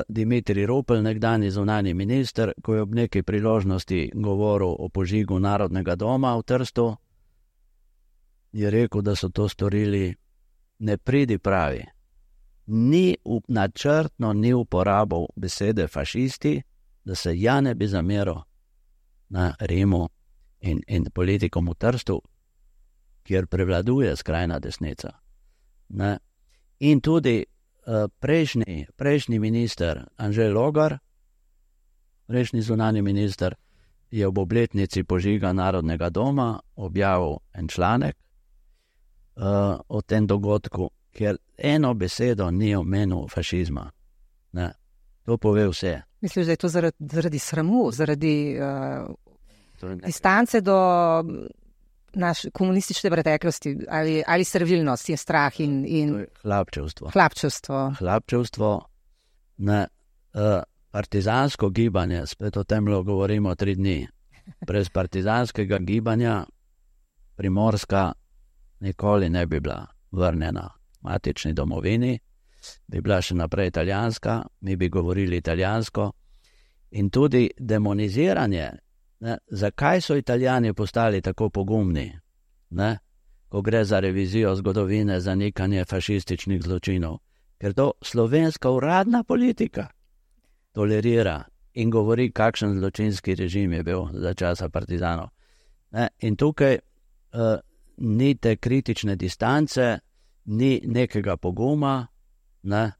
Dimitrij Rupel, nekdanji zunanji minister, ko je ob neki priložnosti govoril o požigu Narodnega doma v Trstu, je rekel, da so to storili nepridipravi. Načrtno ni uporabil besede fašisti, da se ja ne bi zameril na Rimu in politikom v Trstu, kjer prevladuje skrajna desnica. Ne? In tudi prejšnji minister Anžej Logar, prejšnji zunanji minister, je ob obletnici požiga Narodnega doma objavil en članek o tem dogodku, kjer eno besedo ni omenil fašizma. Ne? To pove vse. Misliš, da je to zaradi sramu, zaradi distance do naše komunistične preteklosti ali servilnost in strah in hlapčevstvo. Hlapčevstvo. Partizansko gibanje, spet o tem govorimo 3 dni. Brez partizanskega gibanja Primorska nikoli ne bi bila vrnjena matični domovini, bi bila še naprej italijanska, mi bi govorili italijansko. In tudi demoniziranje, ne, zakaj so Italijani postali tako pogumni, ne, ko gre za revizijo zgodovine, zanikanje fašističnih zločinov, ker to slovenska uradna politika tolerira in govori, kakšen zločinski režim je bil za časa partizanov. Ne, in tukaj ni te kritične distance, ni nekega poguma, ne,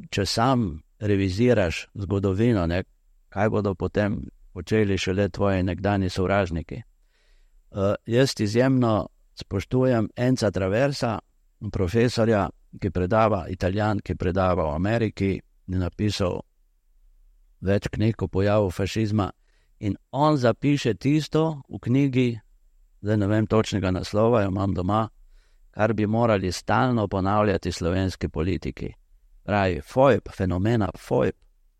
če sam reviziraš zgodovino, ne, kaj bodo potem počeli šele tvoji nekdani sovražniki. Jaz izjemno spoštujem Enza Traversa, profesorja, ki predava, Italijan, ki predava v Ameriki, je napisal več knjig o pojavu fašizma in on zapiše tisto v knjigi, zdaj ne vem točnega naslova, jo imam doma, kar bi morali stalno ponavljati slovenski politiki. Pravi, fenomena FOIP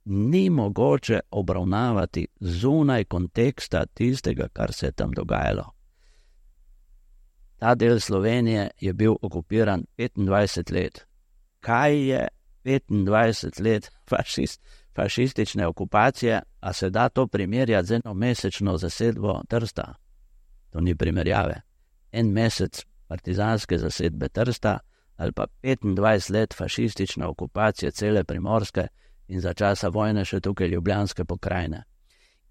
ni mogoče obravnavati zunaj konteksta tistega, kar se je tam dogajalo. Ta del Slovenije je bil okupiran 25 let. Kaj je 25 let fašistične okupacije, a se da to primerjati z enomesečno zasedbo Trsta? To ni primerjave. 1 mesec partizanske zasedbe Trsta ali pa 25 let fašistične okupacije cele Primorske in za časa vojne še tukaj Ljubljanske pokrajine.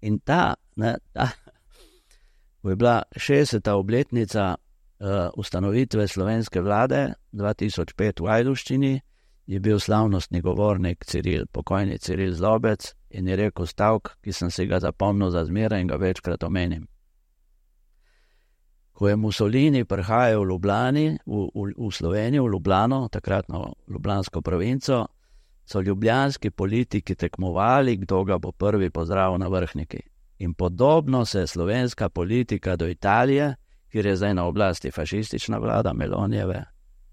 In ko je bila 60. obletnica ustanovitve slovenske vlade 2005 v Ajdovščini, je bil slavnostni govornik pokojni Ciril Zlobec in je rekel stavek, ki sem si ga zapomnil za zmeraj in ga večkrat omenim. Ko je Mussolini prihajal v Slovenijo, v Ljubljano, takratno ljubljansko provinco, so ljubljanski politiki tekmovali, kdo ga bo prvi pozdravil na Vrhniki. In podobno se je slovenska politika do Italije, kjer je zdaj na oblasti fašistična vlada Melonijeve,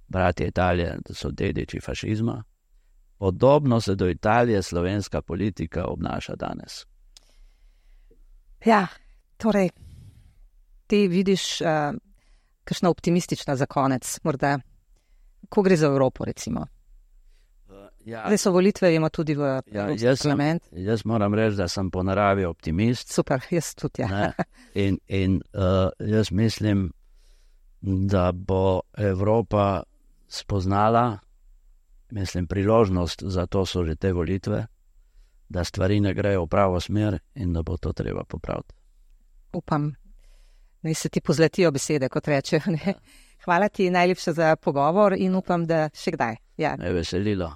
bratje Italije, da so dediči fašizma, podobno se do Italije slovenska politika obnaša danes. Ja, torej, ti vidiš kakšna optimistična za konec, morda, ko gre za Evropo, recimo. Zdaj so volitve, vemo tudi v Evropski parlament. Jaz moram reči, da sem po naravi optimist. Super, jaz tudi, ja. In jaz mislim, da bo Evropa spoznala, priložnost, za to so že te volitve, da stvari ne grejo v pravo smer in da bo to treba popraviti. Upam, naj se ti pozletijo besede, kot rečejo. Hvala ti najlepše za pogovor in upam, da še kdaj. Ja. Me je veselilo.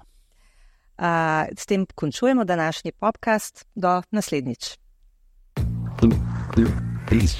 S tem končujemo današnji podcast. Do naslednjič. Peace.